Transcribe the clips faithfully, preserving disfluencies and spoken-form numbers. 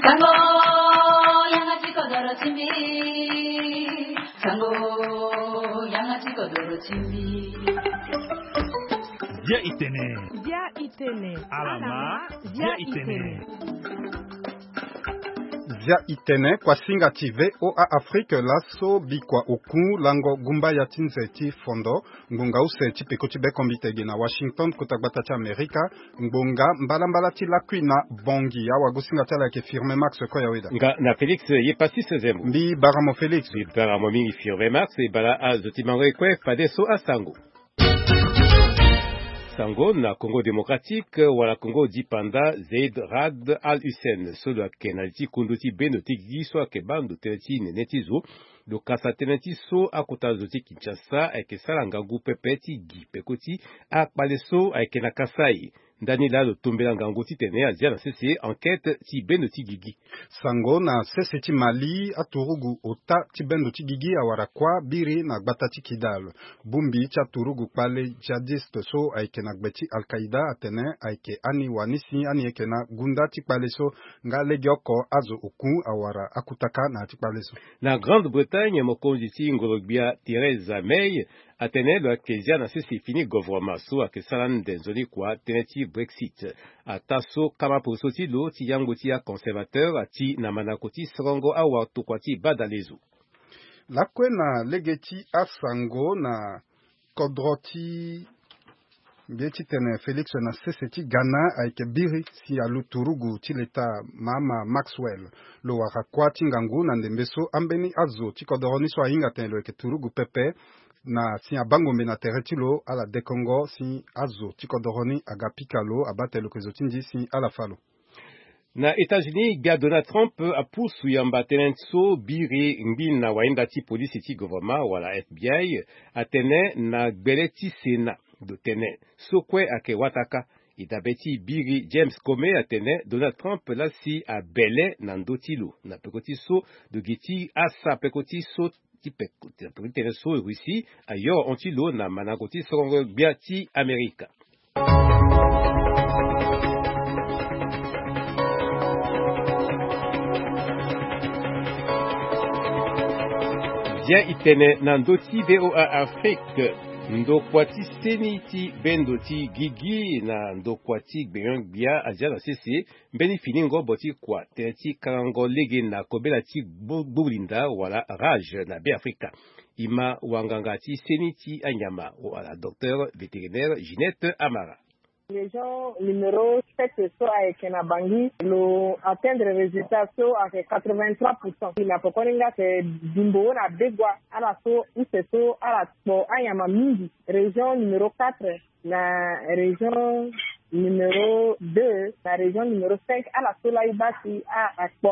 Sango, yanga ti kodoro ti mbi. Sango, yanga ti kodoro ti mbi. Dia itene. Dia itene. Alama. Dia itene. Dia itene, kuasinga ti VOA Afrique, laso bikua oku lango gumbaya ti nze ti fondo, ngbonga use ti peko ti bekombite ge na Washington, kota gbata ti Amerika. Ngbonga mbalambala ti lakui na Bangui. Awagosinga ti ala ayeke Firme Max Koyaweda. Nga na Félix ye Pastis Zembo. Mbi bara mo Félix. Mbi bara mo mingi Firme Max, e bara azo ti mango ye kue fadeso asango. Sango na Congo Démocratique, wala Congo dipanda, Zeid Ra'ad Al Hussein, so lo yeke na li ti kundu ti bendo ti gigi so ayeke baa ndo tënë ti nene ti zo, lo kasa tënë ti so akota zo ti Kinshasa ayeke sara ngangu pepe ti gi peko ti akpale so ayeke na Kasaï. Ndani laa lo tombela ngangu titene azia na sese enquête ti bendo ti gigi. Sango na sese ti Mali, aturugu ota ti bendo ti gigi awara kuâ biri na gbata ti Kidal. Bongbi ti aturugu kpale djihadiste so ayeke na gbe ti Al-Qaïda atene ayeke ani wani si ani yeke na gunda ti kpale so, nga legeoko azo oku awara akutaka na ya ti kpale so. Na Grande-Bretagne, mokonzi ti ngoro-gbia Theresa May atene lo yeke zia na sese fini gouvernement so ayeke sara ande nzoni kua tënë ti Brexit. Ataa so kama poroso ti lo ti yango ti aconservateur ati na mandako ti sorongo awatokua ti badalezo. Lakue na lege ti asango na kodro ti mbi ye titene Félix na sese ti Ghana ayeke biri si alu turugu ti leta Mahama Maxwell. Lo wara kuâ ti ngangu na ndembe so ambeni azo ti kodoro ni so ahinga atene lo yeke turugu pepe, na si abangombe na tere ti lo ala dekongo si azo ti kodoro ni aga pika lo, abaa tene lo yeke zo ti ndi si ala fa lo. Na États-Unis, gbia Donald Trump apusu yamba tënë so biri ngbi na wahinda ti polisi ti gouvernement wala F B I atene na gbele ti Sénat. Lo tene so kue ayeke wata kâ. E dabe ti biri James Comey atene Donald Trump laa si abele na ndö ti lo na peko ti so lo gi ti asa peko ti so ti peko ti tene so Russie ayoro hon ti lo na mandango ti sorongo gbia ti Amerika. Dia itene na ndö ti VOA Afrique, ndokua ti seni ti bendo ti gigi na ndokua ti gbenyo-gbia azia na sese mbeni fini ngobo ti kua tënë ti kangango lege na kobela ti gbu-, gbulinda wala rage na Beafrika. E ma wanganga ti seni ti anyama wala docteur vétérinaire Ginette Amara. Région numéro sept so ayeke na Bangui, lo atteindre résultat so ayeke quatre-vingt-trois pour cent. Na pokoni nga ayeke bimbo na Begua, ala so use so ala kpo anyama mingi. Région numéro quatre, na région numéro deux, na région numéro cinq, ala so laa e baa si a, akpo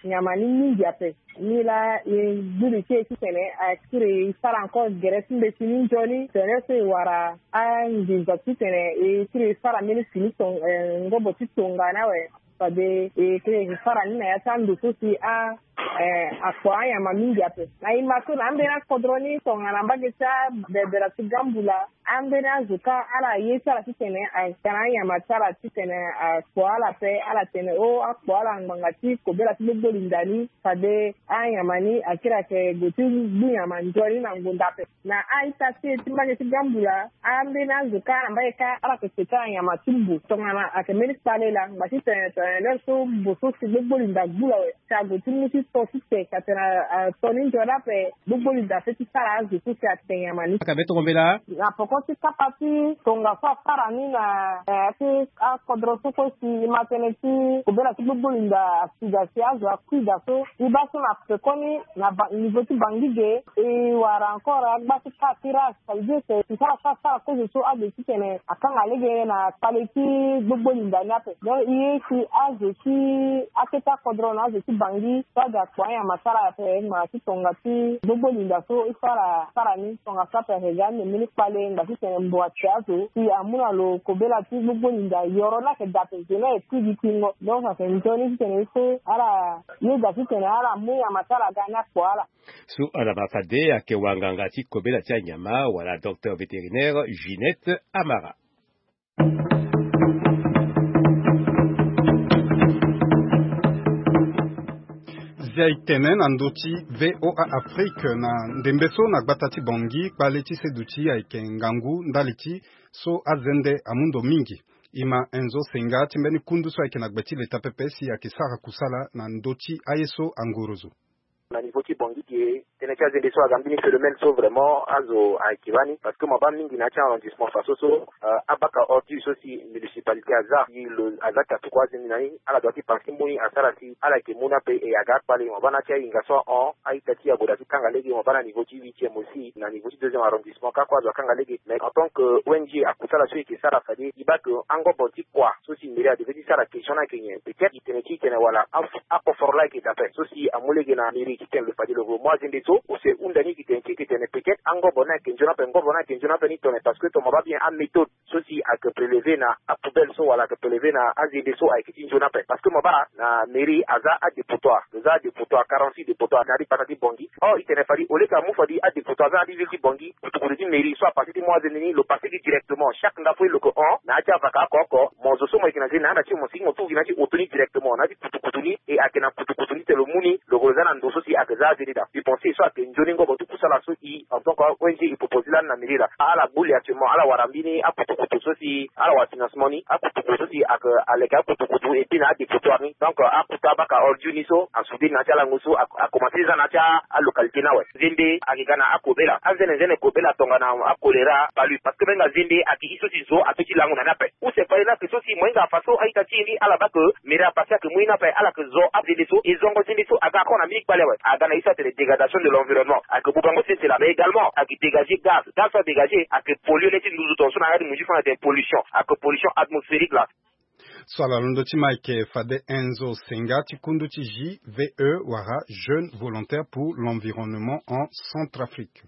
anyama ni mingi ape. Ni laa e gbu li ti e titene akiri e sara encore gere ti mbeti ni nzoni, tene so e wara anginza titene e kiri e sara mbeni fini ton-, eh, ngobo ti tongana awe. Fade e kiri e sara ni na ya ti ando so si a, eh, akpo anyama mingi ape. Na e ma so na ambeni akodro ni tongana mbage ti abebera ti Gambula, ambeni azo kâ ala ye ti ala titene atene anyama ti ala titene akpo ala ape, ala tene o akpo ala ngbanga ti kobela ti gbogbo linda ni. Fade anyama ni akiri ayeke gue ti gbu nyama nzoni na ngonda ape. Na a-ita ti e ti mbage ti Gambula, ambeni azo kâ na mbage kâ ala yeke ke ti ala nyama ti mbo. Tongana ayeke mbeni kpale laa, ngba titene tongana lere so mbo so si gbogbo linda gbu lo awe. Si ague ti mu ti to ti te ka tene a, a, to ni nzoni ape, gbogbo linda ape ti sara azo so si ate nyama ni. Aka be tongo mbela. Na poko ti kapa ti tongaso asara ni na, eh, ti akodro so kue si e ma tënë ti kobela ti gbogbo linda asida si azo akui daa so. E baa so na pekoni na ba-, niveau ti Bangui ge, e wara encore agba ti kâ ti rage. Ça veut dire que e sara sara sara kozo so ague titene akanga lege na kpale ti gbogbo linda ni ape. Donc e ye si azo ti akete akodro na azo ti Bangui so aga kpo anyama ti ala ape, ngbanga ti tonga ti gbogbo linda so e sara sara ni. Tongaso ape ayeke ga ande mbeni kpale ngba titene mbo ati azo si amu na lo kobela ti gbogbo linda yoro ni ayeke daa ape, zo ni ayeke kui gi tingo. Donc ayeke nzoni titene il faut ala yeda titene ala mu nyama ti ala ga ni akpo ala. So ala ma fade ayeke wanganga ti kobela ti anyama wala docteur vétérinaire Ginette Amara. Ti aye tene na ndö ti VOA Afrique na ndembe so na gbata ti Bangui, kpale ti seduti ayeke ngangu ndali ti so azende amu ndo mingi. E ma Enzo Senga ti mbeni kundu so ayeke na gbe ti leta pepe si ayeke sara kusala na ndö ti aye so angorozo. Na niveau ti Bangui ge, tënë ti azende so aga mbeni phénomène so vraiment azo ayeke bani, parce que mo baa mingi na ya ti arrondissement faso so, euh, abaka ordure so si municipalité aza si lo aza katuku azende na ni, ala doit ti pase mu ni asara si ala yeke mu ni ape. E aga akpale, mo baa na ya ti ahinga so ahon, a-ita ti agoda ti kanga lege, mo baa na niveau ti huitième aussi, na niveau ti deuxième arrondissement kâ kue azo akanga lege. Mais en tant que O N G, akusala so e yeke sara fade e baa ke angobo ti kua so si mairie adevait ti sara question ni ayeke nyen. Peut-être e tene ti e tene wala a- akoforo laa ayeke daa ape so si amu lege na mairie ti tene lo fade lo mu azende so use hunda ni e yeke tene ti e yeke tene peut-être angobo ni ayeke nzoni ape, ngobo ni ayeke nzoni ape ni tongana, parce que tongana mo baa bien améthode so si ayeke prélever na apoubelle so wala ayeke prélever na azende so ayeke ti nzoni ape. Parce que mo baa na mairie aza adépotoir, lo za adépotoir, quarante-six dépotoir na ya ti gbata ti Bangui. Or e tene fade au lieu ke amu fade adépotoir aza na ya ti ville ti Bangui, kutukutu ti mairie so apase ti mu azende ni lo pase gi directement. Chaque ndafo e lo yeke hon na ya ti avaka oko oko, mo zo so mo yeke na nze ni na anda ti mo si mo tuku gi na ya ti auto ni directement na ya ti kutukutu ni, e ayeke na kutukutu ni tene lo mu ni lo yeke lo za na ndo so si ayeke za azende daa. Mbi pense so ayeke nzoni ngobo ti kusala so e en tant que O N G e propose lani na mairie laa. Ala gbu li actuellement, ala wara mbeni akutukutu so si ala wara financement ni, akutukutu so si ayeke aleke akutukutu et puis na adépotoir ni. Donc akuta abaka ordure ni so asoude na ya ti alango so a- akomanse ti za na ya ti alocalité ni awe. Zende ayeke ga na akobela, anzenenzene kobela tongana acholéra, palu, parce que mbenga zende ayeke e so si zo ape ti lango na ni ape. Use fade ni ayeke so si mo hinga afa so a-ita ti e ni ala baa ke mairie apase ayeke mu e ni ape, ala yeke zo azende so e zongo zende so aga ako na mbeni kpale awe. Aga na e so atene dégradation de l'environnement, ayeke bubango sese laa, mais également ayeke dégager gaz, gaz so adégage ayeke polluer le ti nduzu tongaso na ya ti mo zi fo na tene pollution, ayeke pollution atmosphérique laa. So ala londo ti ma ayeke fade Enzo Senga ti kundu ti J V E wala Jeune Volontaire pour l'Environnement en Centrafrique.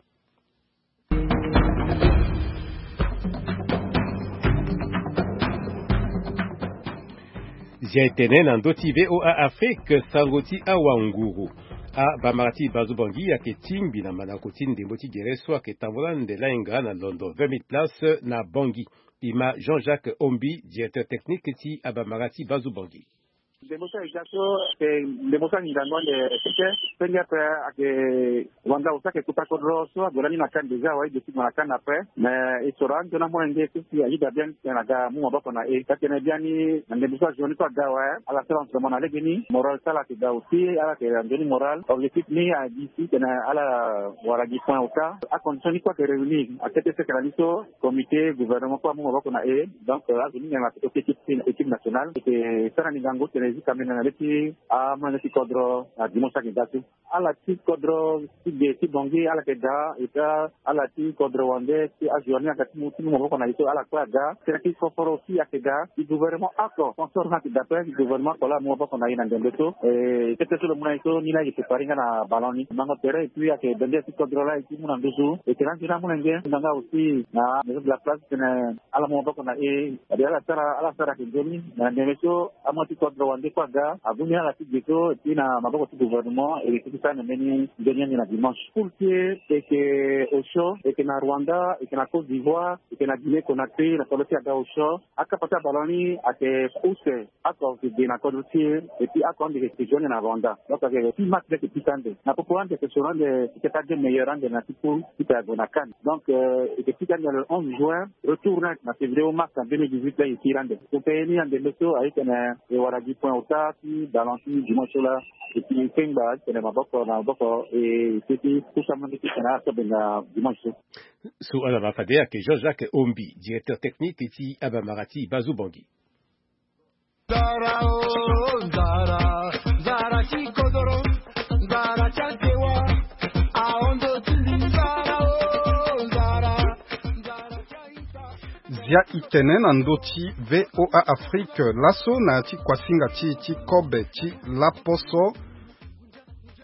Zia etene na ndö ti V O A Afrique, sango ti awanguru. Abamara ti Bazu Bangui ayeke tingbi na mandako ti ndembo ti gere so ayeke tambola nde lahinga na londo vingt mille places na Bangui. E ma Jean-Jacques Ombi, directeur technique ti abamara ti Bazu Bangui. Ndembo so ayeke ga so, eh, ndembo so angingango ande, eh, seke, senge ape ayeke wanda ota ayeke kota kodro so ague lani na CAN déjà, awe, e duti mo na CAN ape. Mais e soro anzoni amolenge so si ayeda bien titene aga amu maboko na e. Ka tene biani na ndembo so azo ni so aga awe, ala sara entraînement na legeni, moral ti ala ayeke daa aussi, ala yeke anzoni moral. Objectif ni agi si titene ala wara gi point ota. Acondition ni kue ayeke réunir. Akete seke na ni so, comité, gouvernement kue amu maboko na e. Donc, euh, azo ni nyen na poto ti équipe, équipe nationale. E yeke sara ni ngangu titene e zi kamene na le ti amolenge ti kodro na dimanche ayeke ga so. Ala ti kodro ti ge ti Bangui ala yeke daa, et puis ala ti kodro wande ti azo ni aga ti mu, ti mu maboko na e so ala kue aga. Tena ti koforo aussi ayeke daa. Ti gouvernement oko, sponsor ni ayeke daa ape, ti gouvernement oko laa amu maboko na e na ndembe so. E, kete so lo mu na e so, ni laa e yeke préparer nga na ballon ni. Mango tere, et puis ayeke bende ti kodro laa e ti mu na nduzu. E tena nzoni amolenge nga nga aussi na maison de la place titene ala mu maboko na e. Fade ala sara, ala sara ayeke nzoni. Na ndembe so, amu ti kodro wande kue aga, abu ni ala ti ge so, et puis na maboko ti gouvernement, e yeke ti sara na mbeni nzoni ni na dimanche. Poule ti e, e yeke Osio, e yeke na Rwanda, e yeke na Côte d'Ivoire, e yeke na Guinée Conakry, na kodro ti aga Osio. Akapa ti aballon ni ayeke use, oko ayeke ge na kodro ti e, et puis oko ande yeke zo ande na Rwanda. Donc ayeke six match laa ayeke pika ande. Na popo ande ayeke soro ande, e yeke taa deux meilleurs ande na ti poule, ti pe ague na CAN. Donc, euh, e yeke pika ande le onze juin, retour na, na février ou mars na deux mille dix-huit laa e yeke iri ande. Donc, e ni ande mbe so aye titene e wara gi point ota ti ballon ti dimanche so laa. E yeke kengba titene maboko na maboko e yeke ti kusa mo nde titene aso benga dimanche so. So ala ma fade ayeke Jean-Jacques Ombi, directeur technique ti abamara ti Bazu Bangui. Nzara o, nzara, nzara ti kodoro, nzara ti agewa, ahondo ti nzara o, nzara, nzara ti aita. Zia itene na ndö ti V O A Afrique, laso na ya ti kuasinga ti e ti kobe ti laposo.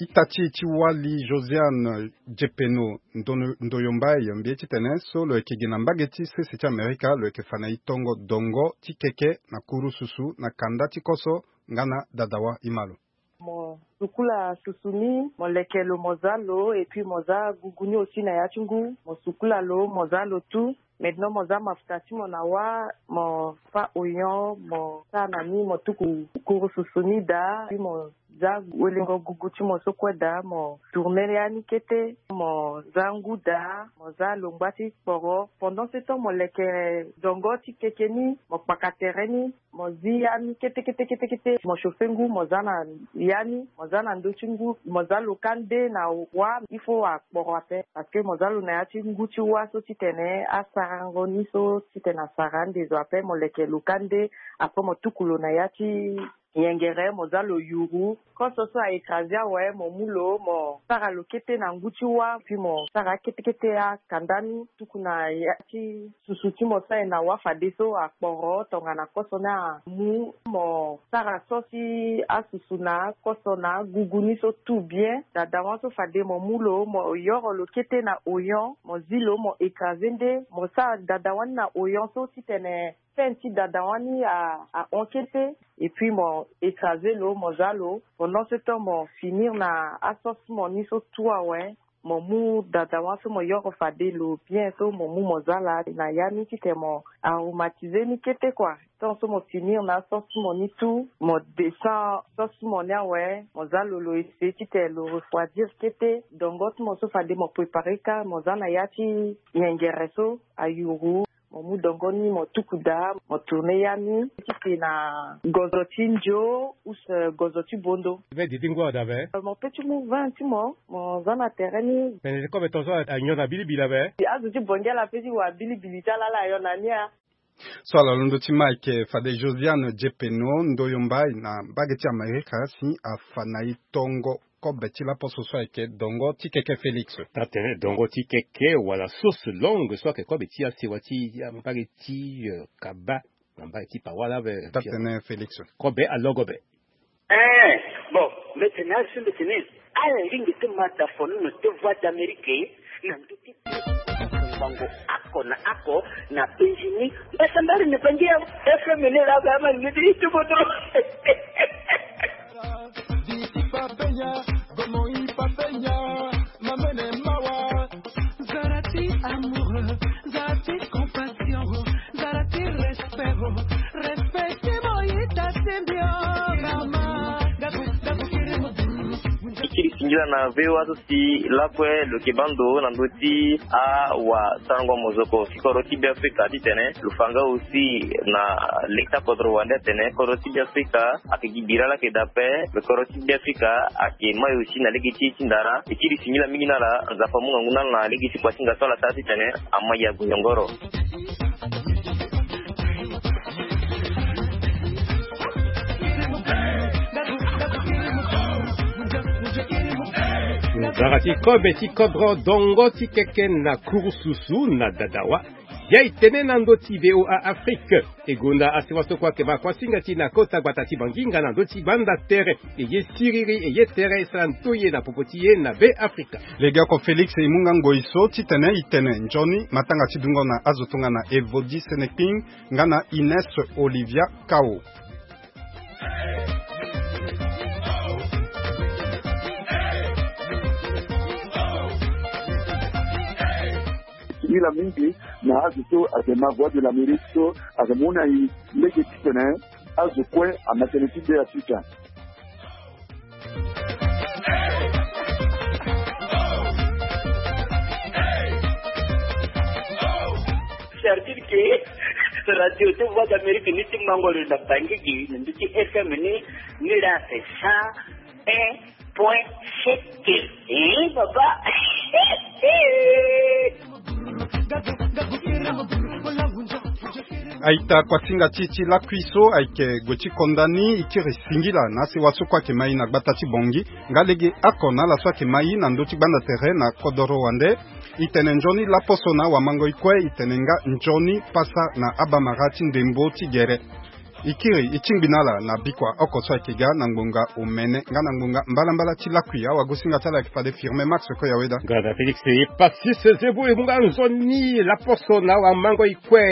Ita ti e ti wali Josiane Jepeno Ndono-, Ndoyo Mbaye mbi ye titene so lo yeke gi na mbage ti sese ti Amerika, lo yeke fa na e tongo dongo ti keke na kurususu na kanda ti koso nga na dadawa. E ma lo. Mo sukula susu ni, mo leke lo, mo za lo, et puis mo za gugu ni aussi na ya ti ngu, mo sukula lo, mo za lo tout. Maintenant mo za mafuta ti mo na wâ, mo fâ oignon, mo sara na ni, mo tuku kurususu ni daa, puis mo Za welengo gugu ti mo so kue daa, mo tourne ya ni kete, mo za ngu daa, mo za longba ti kporo. Pendant ce temps mo leke dongo ti keke ni, mo kpaka tere ni, mo zi ya ni kete kete kete kete, mo chauffe ngu, mo za na ya ni, mo za na ndö ti ngu, mo za lo ka nde na wa. Il faut akporo ape, parce que mo za lo na ya ti ngu ti wa so titene asarango ni so titene asara ande zo ape, mo leke lo ka nde. Après mo tuku lo na ya ti yengere, mo za lo yuru. Koso so a écrasé awe, mo mu lo, mo sara lo kete na ngu ti wa, puis mo sara kete kete akanda ni tuku na ya ti susu ti mo so aye na wa fadeso akporo tongana koso ni amu. Mo sara so ti asusu na koso na agugu ni so tout bien. Dadawa so fade mo mu lo, mo yoro lo kete na oyon, mo zi lo, mo écrasé nde, mo sara dadawa ni na oyon so titene fin ti dadawa ni a, ahon kete. Et puis mo écrasé lo, mo za lo. Pendant ce temps mo finir na asauce mo ni so tout awe. Mo mu dadawa so mo yoro fade lo bien so mo mu mo za laa na ya ni titene mo aromatisé ni kete kua. Tant so mo finir na asauce mo ni tout, mo descend sauce mo ni awe, mo za lo, lo essayer titene lo refroidir kete. Dongo ti mo so fade mo préparer ka, mo za na ya ti yengere so ayuru. Mo mu dongo ni mo tuku daa, mo tourne ya ni titene na gozo ti ndio ou gozo ti bondo. Ve didi ngu adabe. Mo pe ti mu vin ti mo, mo za na tere ni. Pene ti kobe tongaso anyon na bilibili abe. Azo ti bongi ala pe ti wa bilibili ti ala ala anyon na ni a. So ala londo ti ma ayeke fade Josiane Jepeno Ndoyo Mbai na mbage ti Amerika si afa na e tongo kobe ti laposo so ayeke dongo ti keke Félix. Taa tene dongo ti keke wala sauce longue so ayeke kobe ti asewa ti mbage ti, eh, kaba na mbage ti Pawa laa be. Taa tene Félix. Kobe alogo be. Eh, bon, mbe tene azo mbe tene ala lingbi ti ma dafono na te Voix d'Amérique na ndö ti bango ako na ako na Benjini. Mbasambari na bangi ya F M N la ba ama ni ti tuboto. Zara ti amour, zara ti compassion, zara ti respect, respect ti mo yita ti mbio. Mama, gabu gabu kiri mo. Ti kiri singila na V O A so si lakue lo yeke baa ndo na ndö ti awasarango mozoko ti kodro ti Beafrika titene lo fa nga aussi na lege ti akodro wande atene kodro ti Beafrika ayeke gi bira laa ayeke daa ape. Me kodro ti Beafrika ayeke mai aussi na lege ti e ti ndara. E kiri singila mingi na ala, Nzapa amu ngangu na ala na lege ti kua ti nga so ala sara titene amai ague yongoro. Nzara ti kobe ti kodro dongo ti keke na kurususu na dadawa. Ya e tene na ndö ti V O A Afrique. E gonda asewa so kue ayeke ma kuasinga ti e na kota gbata ti Banginga na ndö ti gbanda tere. E ye siriri, e ye tere, e sara ndoye na popo ti e na Beafrika. Legeoko Félix e mu nga ngoi so titene e tene nzoni matanga ti dungo na azo tongana Evodi Senekping nga na Ines Olivia Kao. Singila mingi na azo so ayeke ma Voix de l'Amérique so ayeke mu na e lege titene azo kue ama tënë ti Beafrika. Certitude que radio ti Voix d'Amérique ni ti mango lo na Bangui gi na ndö ti F M ni, ni la c'est cent un point sept. Eh, papa. Aita kuasinga ti e ti lakui so ayeke gue ti konda ni, e kiri singila na asewa so kue ayeke ma e na gbata ti Bangui nga lege oko na ala so ayeke ma e na ndö ti gbanda tere na kodoro wande. E tene nzoni laposo na awamangoi kue, e tene nga nzoni pasa na abamara ti ndembo ti gere. E kiri e tingbi na ala na bikua oko so ayeke ga na ngbonga omene nga na ngbonga mbalambala ti lakui. Awagosinga ti ala ayeke fade Firmin Max Koyaweda. Nga na Félix Epasis Zebou e mu nga nzoni laposo na awamangoi kue.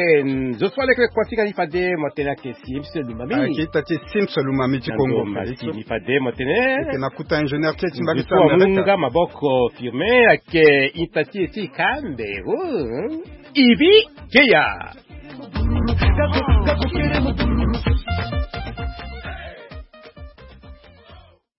Zo so aleke kuasinga ni fade mo tene ayeke Sims Lumami. Ayeke ita ti Sims Lumami ti Kongo Félix. Masini fade mo tene. Ayeke na kuta ingénieur ti e ti mbage ti Amerika. Zo so amu nga maboko Firmin ayeke ita ti e ti Kambe. Oh. Ibi Keya.